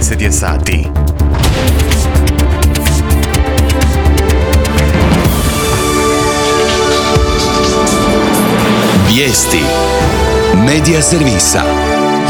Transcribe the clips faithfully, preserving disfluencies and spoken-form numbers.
deset je sati. Vijesti Medija servisa.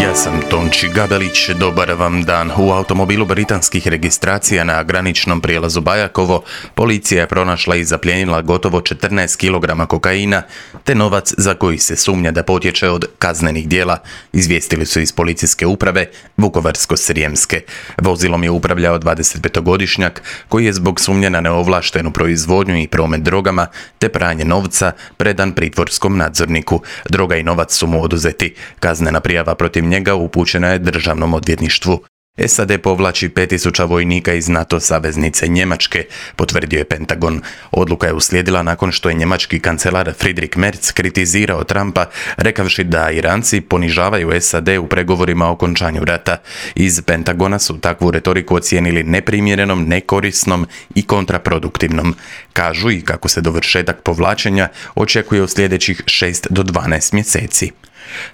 Ja sam Tonči Gabelić, dobar vam dan. U automobilu britanskih registracija na graničnom prijelazu Bajakovo policija je pronašla i zaplijenila gotovo četrnaest kilograma kokaina, te novac za koji se sumnja da potječe od kaznenih djela, izvijestili su iz policijske uprave Vukovarsko-srijemske. Vozilom je upravljao dvadesetpetogodišnjak koji je zbog sumnje na neovlaštenu proizvodnju i promet drogama te pranje novca predan pritvorskom nadzorniku. Droga i novac su mu oduzeti. Kaznena prijava protiv njega upućena je državnom odvjetništvu. S A D povlači pet tisuća vojnika iz NATO saveznice Njemačke, potvrdio je Pentagon. Odluka je uslijedila nakon što je njemački kancelar Friedrich Merz kritizirao Trumpa, rekavši da Iranci ponižavaju S A D u pregovorima o okončanju rata. Iz Pentagona su takvu retoriku ocijenili neprimjerenom, nekorisnom i kontraproduktivnom. Kažu i kako se dovršetak povlačenja očekuje u sljedećih šest do dvanaest mjeseci.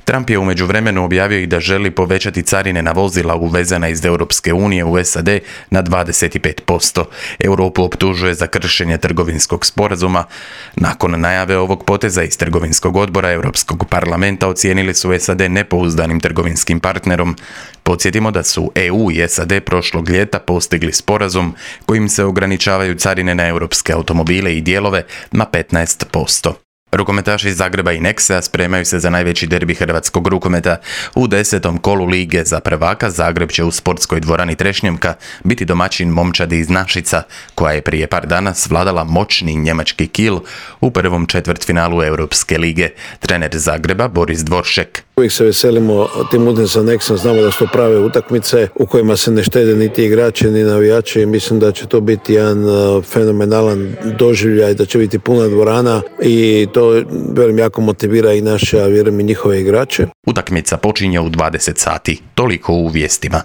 Trump je u međuvremenu objavio i da želi povećati carine na vozila uvezena iz Europske unije u S A D na dvadeset pet posto. Europu optužuje za kršenje trgovinskog sporazuma. Nakon najave ovog poteza iz trgovinskog odbora Europskog parlamenta ocijenili su S A D nepouzdanim trgovinskim partnerom. Podsjetimo da su E U i S A D prošlog ljeta postigli sporazum kojim se ograničavaju carine na europske automobile i dijelove na petnaest posto. Rukometaši iz Zagreba i Nexa spremaju se za najveći derbi hrvatskog rukometa. U desetom kolu Lige za prvaka Zagreb će u sportskoj dvorani Trešnjevka biti domaćin momčadi iz Našica, koja je prije par dana svladala moćni njemački Kiel u prvom četvrtfinalu Europske lige. Trener Zagreba Boris Dvoršek. Uvijek se veselimo tim utakmicama sa Nexom, znamo da su to prave utakmice u kojima se ne štede niti igrači ni navijači. Mislim da će to biti jedan fenomenalan doživljaj, da će biti puna dvorana i to velim jako motivira i naše, a vjerujem i njihove igrače. Utakmica počinje u dvadeset sati. Toliko u vijestima.